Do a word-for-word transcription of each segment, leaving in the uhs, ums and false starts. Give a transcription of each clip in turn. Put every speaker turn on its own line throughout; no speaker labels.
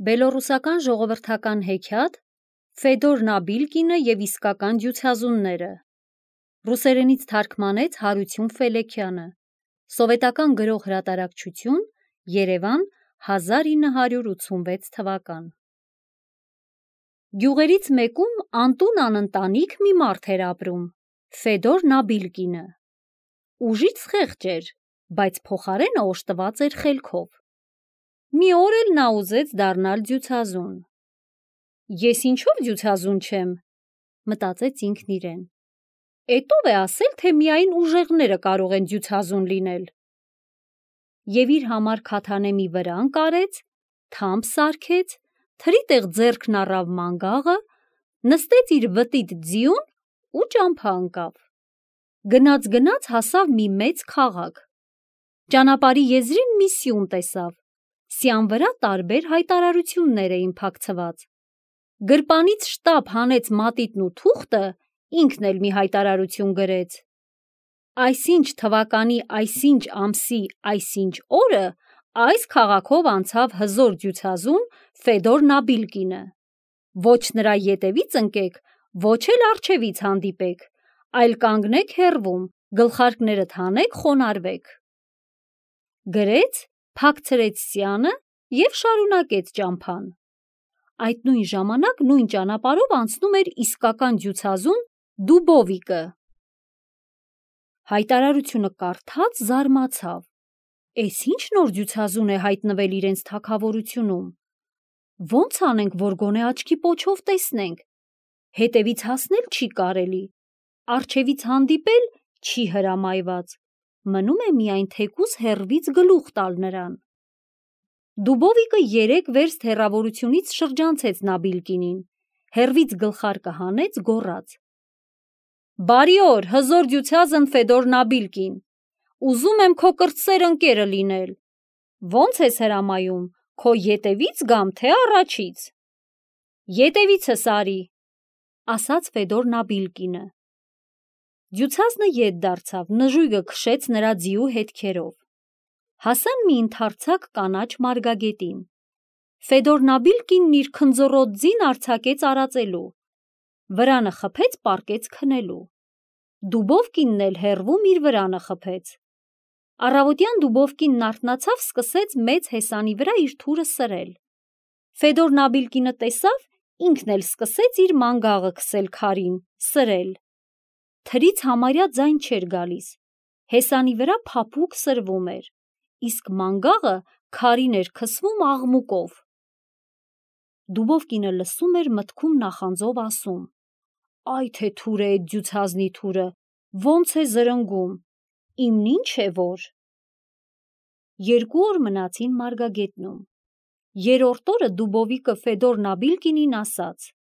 Բելոռուսական ժողովրդական հեքիաթ Ֆեդոր Նաբիլկինը և իսկական դյուցազունները Ռուսերենից թարգմանեց Հարություն Ֆելեքյանը Սովետական գրող հրատարակչություն Երևան հազար ինը հարյուր ութսունվեց թվական Գյուղերից մեկում անտուն անընտանիք մի մարդ էր ապրում Ֆեդոր Նաբիլկինը Ուժից խեղճ էր, բայց փոխարենը օժտված էր խելքով Մի օր էլ նա ուզեց դառնալ դյուցազուն Ես ինչով դյուցազուն չեմ, մտածեց ինքն իրեն Էդ ով է ասել, թե միայն ուժեղները կարող են դյուցազուն լինել Եվ իր համար քաթանե մի վրան կարեց, թամփ սարքեց, թրի տեղ ձեռքն առավ մանգաղը, նստեց իր վտիտ ձիուն ու ճամփա ընկավ Գնաց-գնաց հասավ մի մեծ քաղաք Ճանապարհի եզրին մի սյուն տեսավ Սյան վրա տարբեր հայտարարություններ էին փակցված Գրպանից շտապ հանեց մատիտն ու թուղթը, ինքն էլ մի հայտարարություն գրեց Այսինչ թվականի այսինչ ամսի այսինչ օրը այս քաղաքով անցավ հզոր դյուցազուն Ֆեդոր Նաբիլկինը Ոչ նրա ետևից ընկեք, ոչ էլ առջևից հանդիպեք, այլ կանգնեք հեռվում, գլխարկներդ հանեք, խոնարհվեք Գրեց, փակցրեց սյանը և շարունակեց ճամփան Այդ նույն ժամանակ նույն ճանապարհով անցնում էր իսկական դյուցազուն Դուբովիկը Հայտարարությունը կարդաց զարմացավ Էս ի՞նչ նոր դյուցազուն է հայտնվել իրենց թագավորությունում Ոնց անենք, որ գոնե աչքի պոչով տեսնենք Հետևից հասնել չի կարելի Առջևից հանդիպել չի հրամայված Մնում է միայն թեկուզ հեռվից գլուխ տալ նրան Դուբովիկը երեք վերստ հեռավորությունից շրջանցեց Նաբիլկինին, հեռվից գլխարկը հանեց, գոռաց. Բարի օր, հզոր դյուցազն Ֆեդոր Նաբիլկին, ուզում եմ քո կրտսեր ընկերը լինել, ոնց ես հրամայում, քո ետևից գամ, թե առաջից: Ետևիցս արի, ասաց Ֆեդոր Նաբիլկինը: Դյուցազնը ետ դարձավ, նժույգը քշեց նրա ձիու հետքերով: Հասան մի ընդարձակ կանաչ մարգագետին: Ֆեդոր Նաբիլկինն իր քնձռոտ ձին արձակեց արածելու: Վրանը խփեց, պառկեց քնելու: Դուբովկինն էլ հեռվում իր վրանը խփեց: Առավոտյան Դուբովկինն արթնացավ, սկսեց մեծ հեսանի վրա իր թուրը սրել: Ֆեդոր Նաբիլկինը տեսավ, ինքն էլ սկսեց իր մանգաղը քսել քարին, սրել: Թրից համարյա ձայն չէր գալիս: Հեսանի վրա փափուկ սրվում էր, իսկ մանգաղը քարին էր քսվում աղմուկով: Դուբովկինը լսում էր, մտքում նախանձով ասում. Այ թե թուր է էդ դյուցազնի թուրը, ոնց է զրնգում, իմն ինչ է որ: Երկու օր մնացին մարգագետնում: Երրորդ օրը Դուբովիկը Ֆեդոր Նաբիլկինին ասաց.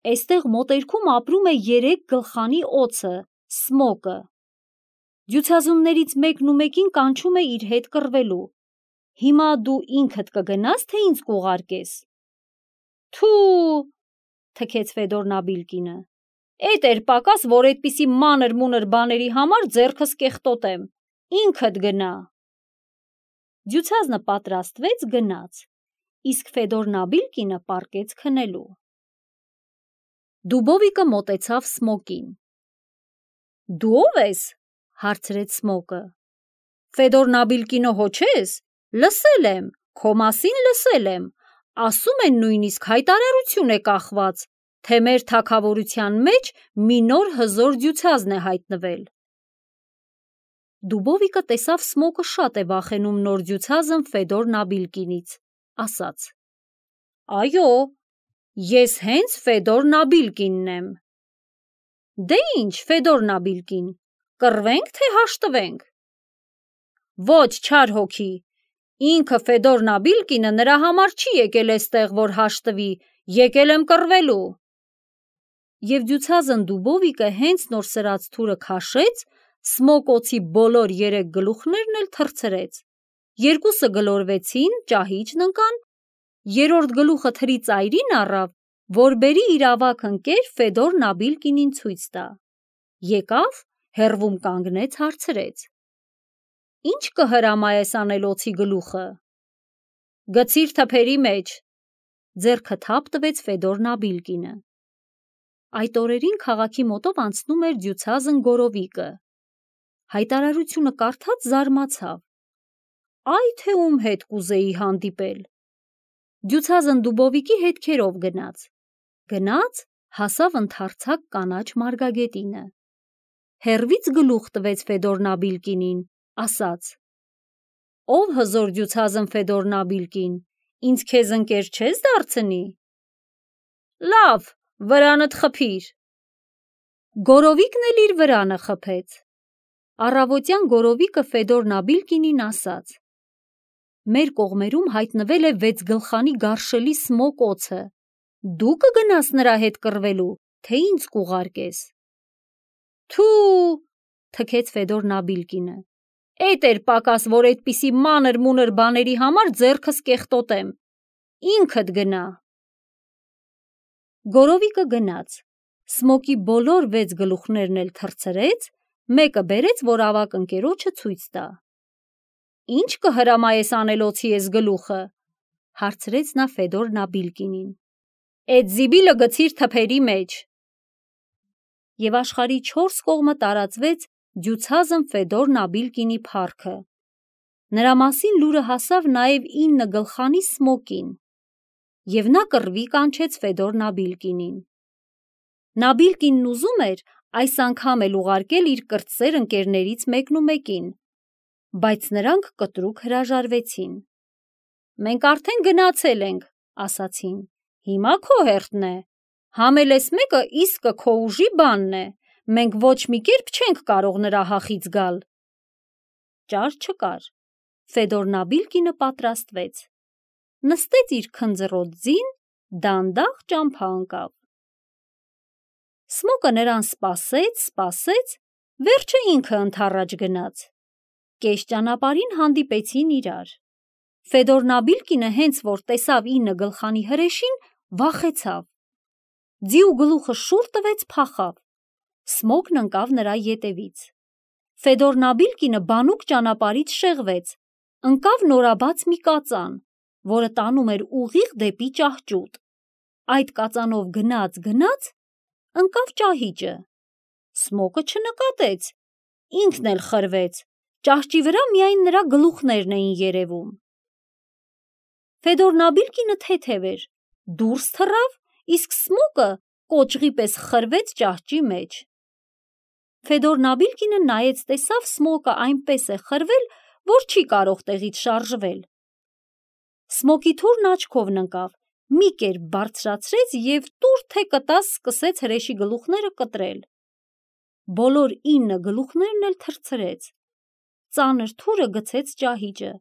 Էստեղ մոտերքում ապրում է երեք գլխանի օձը, Սմոկը: Դյուցազուններից մեկն ու մեկին կանչում է իր հետ կռվելու: Հիմա դու ինքդ կգնա՞ս, թե ինձ կուղարկես: Թու, թքեց Ֆեդոր Նաբիլկինը: Էդ էր պակաս, որ էդպիսի մանր-մունր բաների համար ձեռքս կեղտոտեմ, ինքդ գնա: Դյուցազնը պատրաստվեց, գնաց, իսկ Ֆեդոր Նաբիլկինը պառկեց քնելու: Դուբովիկը մոտեցավ Սմոկին: Դու ո՞վ ես, հարցրեց Սմոկը: Ֆեդոր Նաբիլկինը հո չես, լսել եմ, քո մասին լսել եմ, ասում են նույնիսկ հայտարարություն է կախված, թե մեր թագավորության մեջ մի նոր հզոր դյուցազն է հայտնվել: Դուբովիկը տեսավ Սմոկը շատ է վախենում նոր դյուցազն Ֆեդոր Նաբիլկինից, ասաց. Այո, ես հենց Ֆեդոր Նաբիլկինն եմ: Դե ինչ, Ֆեդոր Նաբիլկին, կռվենք, թե հաշտվենք: Ոչ, չար հոգի, ինքը Ֆեդոր Նաբիլկինը նրա համար չի եկել էստեղ, որ հաշտվի, եկել եմ կռվելու: Եվ դյուցազն Դուբովիկը հենց նոր սրած թուրը քաշեց, Սմոկ օձի բոլոր երեք գլուխներն էլ թռցրեց: Երկուսը գլորվեցին, ճահիճն ընկան, երրորդ գլուխը թրի ծայրին առավ, որ բերի իր ավագ ընկեր Ֆեդոր Նաբիլկինին ցույց տա: Եկավ, հեռվում կանգնեց, հարցրեց. Ի՞նչ կհրամայես անել օձի գլուխը: Գցիր թփերի մեջ, ձեռքը թափ տվեց Ֆեդոր Նաբիլկինը։ Այդ օրերին քաղաքի մոտով անցնում էր դյուցազն Գորովիկը։ Հայտարարությունը կարդաց զարմացավ. «Այ թե ում հետ կուզեի հանդիպել»։ Դյուցազն Դուբովիկի հետքերով գնաց։ Գնաց, հասավ ընդարձակ կանաչ մարգագետինը։ Հեռվից գլուխ տվեց Ֆեդոր Նաբիլկինին, ասաց. «Ով հզոր դյուցազն Ֆեդոր Նաբիլկին, ինձ քեզ ընկեր չես դարձնի»։ «Լավ, վրանդ խփիր»։ Գորովիկն էլ իր վրանը խփեց։ Առավոտյան Գորովիկը Ֆեդոր Նաբիլկինին ասաց. «Մեր կողմերում հայտնվել է վեցգլխանի գարշելի Սմոկ օձը, դու կգնաս նրա հետ կռվելու, թե ինձ կուղարկես»։ «Թու», թքեց Ֆեդոր Նաբիլկինը, «էդ էր պակաս, որ էդպիսի մանր մունր բաների համար ձեռքս կեղտոտեմ, ինքդ գնա»։ Գորովիկը գնաց, Սմոկի բոլոր վեց գլուխներն էլ թռցրեց, մեկը բերեց, որ ավագ ընկերոջը ցույց տա։ «Ինչ կհրամայես անել օձի ես գլուխը», հարցրեց նա Ֆեդոր Նաբիլկինին։ «Էդ զիբիլը գցիր թփերի մեջ»։ Եվ աշխարհի չորս կողմը տարածվեց դյուցազն Ֆեդոր Նաբիլկինի փառքը։ Նրա մասին լուրը հասավ նաև ինը գլխանի Սմոկին, և նա կռվի կանչեց Ֆեդոր Նաբիլկինին։ Նաբիլկինն ուզում էր այս անգամ էլ ուղարկել իր կրտսեր ընկերներից մեկնումեկին, բայց նրանք կտրուկ հրաժարվեցին։ «Մենք արդեն գնացել ենք», ասացին, «հիմա քո հերթն է, համել ես մեկը իսկը քո ուժի բանն է, մենք ոչ մի կերպ չենք կարող նրա հախից գալ»։ Ճար չկար, Ֆեդոր Նաբիլկինը պատրաստվեց, նստեց իր քնձռոտ ձին, դանդաղ ճամփա ընկավ։ Սմոկը նրան սպասեց, սպասեց, վերջը ինքը ընդառաջ գնաց։ Կես ճանապարհին հանդիպեցին իրար։ Ֆեդոր Նաբիլկինը հենց որ տեսավ ինը գլխանի հրեշին, վախեցավ։ Ձիու գլուխը շուռ տվեց, փախավ։ Սմոկն ընկավ նրա ետևից։ Ֆեդոր Նաբիլկինը բանուկ ճանապարհից շեղվեց, ընկավ նորաբաց մի կածան, որը տանում էր ուղիղ դեպի ճահճուտ։ Այդ կածանով գնաց, գնաց, ընկավ ճահիճը։ Սմոկը չնկատեց, ինքն էլ խրվեց, ճահճի վրա միայն նրա գլուխներն էին երևում։ Ֆեդոր Նաբիլկինը թեթև էր, դուրս թռավ, իսկ Սմոկը կոճղի պես խրվեց ճահճի մեջ։ Ֆեդոր Նաբիլկինը նայեց, տեսավ Սմոկը այնպես է խրվել, որ չի կարող տեղից շարժվել։ Սմոկի թուրն աչքովն ընկավ, մի կերպ բարձրացրեց և տուր թե կտաս սկսեց հրեշի գլուխները կտրել։ Բոլոր ինը գլուխներն էլ թռցրեց։ Ծանր թուրը գցեց ճահիճը,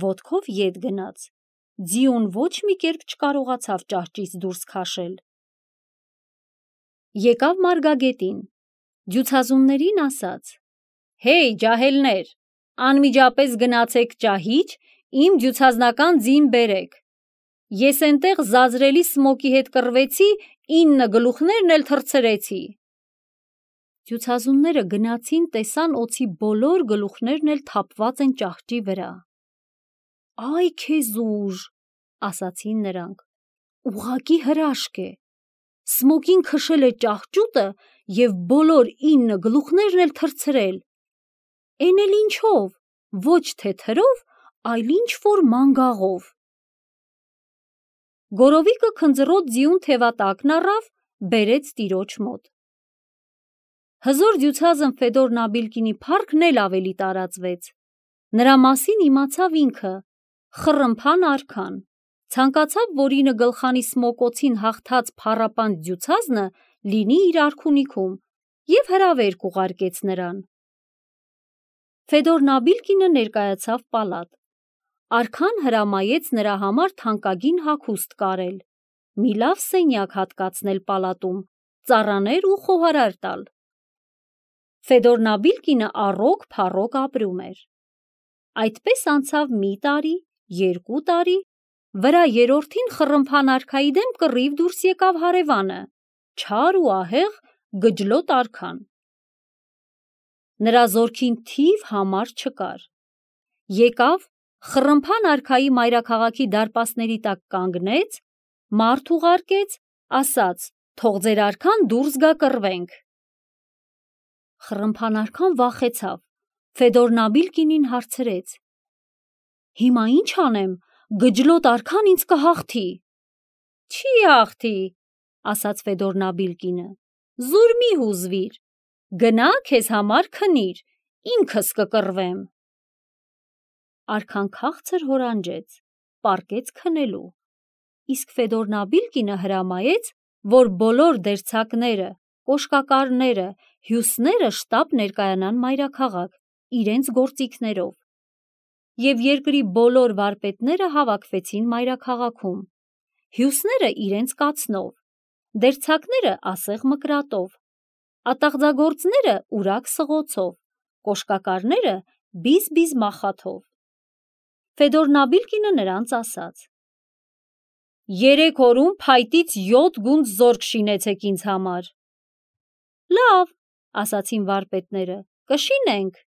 ոտքով ետ գնաց։ Ձիուն ոչ մի կերպ չկարողացավ ճահճից դուրս քաշել։ Եկավ մարգագետին, դյուցազուններին ասաց. «Հեյ, ջահելներ, անմիջապես գնացեք ճահիճ, իմ դյուցազնական ձին բերեք։ Ես էնտեղ զազրելի Սմոկի հետ կռվեցի, ինը գլուխներն էլ թռցրեցի»։ Դյուցազունները գնացին, տեսան օձի բոլոր գլուխներն էլ թափված են ճահճի վրա։ «Այ քեզ ուժ», ասացին նրանք, «ուղղակի հրաշք է։ Սմոկին քշել է ճահճուտը և բոլոր ինը գլուխներն էլ թռցրել։ Էն էլ ինչով, ոչ թե թրով, այլ ինչ-որ մանգաղով»։ Գորովիկը քնձռոտ ձիուն թևատակն առավ, բերեց տիրոջ մոտ։ Հզոր դյուցազն Ֆեդոր Նաբիլկինի փառքն էլ ավելի տարածվեց։ Նրա մասին իմացավ ինքը, Խռմփան արքան, ցանկացավ, որ ինը գլխանի Սմոկ օձին հաղթած փառապանծ դյուցազնը լինի իր արքունիքում, և հրավեր կուղարկեց նրան։ Ֆեդոր Նաբիլկինը ներկայացավ պալատ։ Արքան հրամայեց նրա համար թանկագին հագուստ կարել, մի լավ սենյակ հատկացնել պալատում, ծառաներ ու խոհարար տալ։ Ֆեդոր Նաբիլկինը առօգ-փառօգ ապրում էր։ Այդպես անցավ մի տարի, երկու տարի, վրա երրորդին Խռմփան արքայի դեմ կռիվ դուրս եկավ հարևանը, չար ու ահեղ Գջլոտ արքան։ Նրա զորքին թիվ համար չկար։ Եկավ, Խռմփան արքայի մայրաքաղաքի դարպասների տակ կանգնեց, մարդ ուղարկեց, ասաց. «Թող ձեր արքան դուրս գա կռվենք»։ Խռմփան արքան վախեցավ, Ֆեդոր Նաբիլկինին հարցրեց. «Հիմա ինչ անեմ, գջլոտ արքան ինձ կհաղթի»։ «Չի հաղթի», ասաց Ֆեդոր Նաբիլկինը, «զուր մի հուզվիր, գնա քեզ համար քնիր, ինքս կկռվեմ»։ Արքան քաղցր հորանջեց, պառկեց քնելու, իսկ Ֆեդոր Նաբիլկինը հրամայեց, որ բոլոր դերձակները, կոշկակարները, հյուսները շտապ ներկայանան մայրաքաղաք իրենց գործիքներով։ Եվ երկրի բոլոր վարպետները հավաքվեցին մայրաքաղաքում, հյուսները իրենց կացնով, դերձակները ասեղ մկրատով, ատաղձագործները ուրակ սղոցով, կոշկակարները բիզ-բիզ մախաթով։ Ֆեդոր Նաբիլկինը նրանց ասաց. «Երեք օրում փայտից յոթ գունդ զորք շինեցեք ինձ համար»։ «Լավ», ասացին վարպետները, «կշինենք»,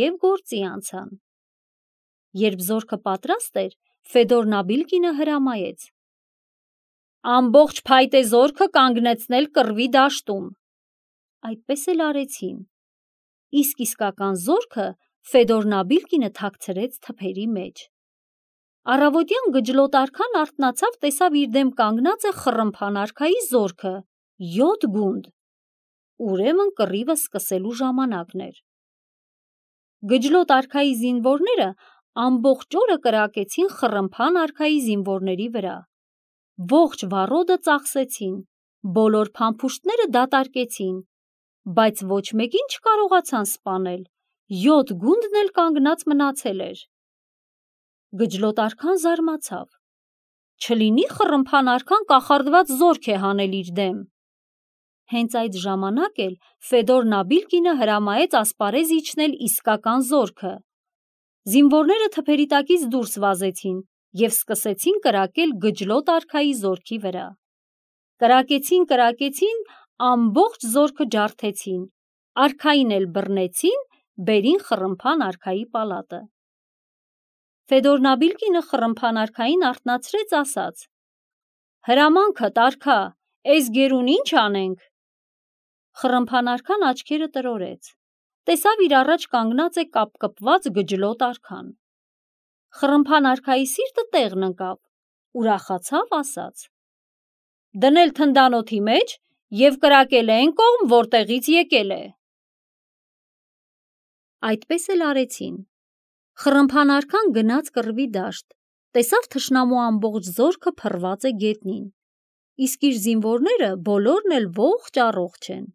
և գործի անցան։ Երբ զորքը պատրաստ էր, Ֆեդոր Նաբիլկինը հրամայեց. «Ամբողջ փայտե զորքը կանգնեցնել կռվի դաշտում»։ Այդպես էլ արեցին, իսկ իսկական զորքը Ֆեդոր Նաբիլկինը թաքցրեց թփերի մեջ։ Առավոտյան գջլոտ արքան արթնացավ, տեսավ իր դեմ կանգնած է Խռմփան արքայի զորքը, յոթ գունդ։ Ուրեմն կռիվը սկսելու ժամանակն էր։ Գջլոտ արքայի զինվորները ամբողջ օրը կրակեցին Խռմփան արքայի զինվորների վրա, ողջ վառոդը ծախսեցին, բոլոր փամփուշտները դատարկեցին, բայց ոչ մեկին չկարողացան սպանել, յոթ գունդն էլ կանգնած մնացել էր։ Գջլոտ արքան զարմացավ. չլինի Խռմփան արքան կախարդված զորք է հանել իր դեմ։ Հենց այդ ժամանակ էլ Ֆեդոր Նաբիլկինը հրամայեց ասպարեզ իջնել իսկական զորքը։ Զինվորները թփերի տակից դուրս վազեցին և սկսեցին կրակել գջլոտ արքայի զորքի վրա։ Կրակեցին, կրակեցին, ամբողջ զորքը ջարդեցին, արքային էլ բռնեցին, բերին Խռմփան արքայի պալատը։ Ֆեդոր Նաբիլկինը Խռմփան արքային արթնացրեց, ասաց. «Հրամանքդ արքա, էս գերուն ինչ անենք»։ Խռմփան արքան աչքերը տրորեց, տեսավ իր առաջ կանգնած է կապկպված գջլոտ արքան։ Խռմփան արքայի սիրտը տեղն ընկավ, ուրախացավ, ասաց. «Դնել թնդանոթի մեջ և կրակել է էն կողմ, որտեղից եկել է»։ Այդպես էլ արեցին։ Խռմփան արքան գնաց կռվի դաշտ, տեսավ թշնամու ամբողջ զորքը փռված է գետնին, իսկ իր զինվորները բոլորն էլ ողջ առողջ են։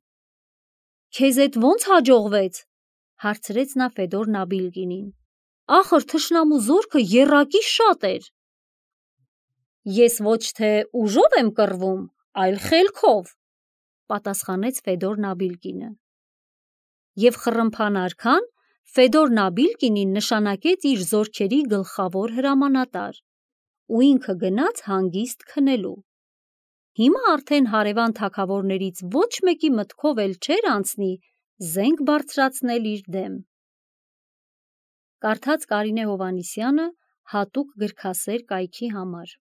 «Քեզ էդ ո՞նց հաջողվեց», հարցրեց նա Ֆեդոր Նաբիլկինին, «ախր թշնամու զորքը եռակի շատ էր»։ «Ես ոչ թե ուժով եմ կռվում, այլ խելքով», պատասխանեց Ֆեդոր Նաբիլկինը։ Եվ Խռմփան արքան Ֆեդոր Նաբիլկինին նշանակեց իր զորքերի գլխավոր հրամանատար, ու ինքը գնաց հանգիստ քնելու։ Հիմա արդեն հարևան թագավորներից ոչ մեկի մտքով էլ չէր անցնի զենք բարձրացնել իր դեմ։ Կարդաց Կարինե Հովհաննիսյանը հատուկ գրքասեր կայքի համար։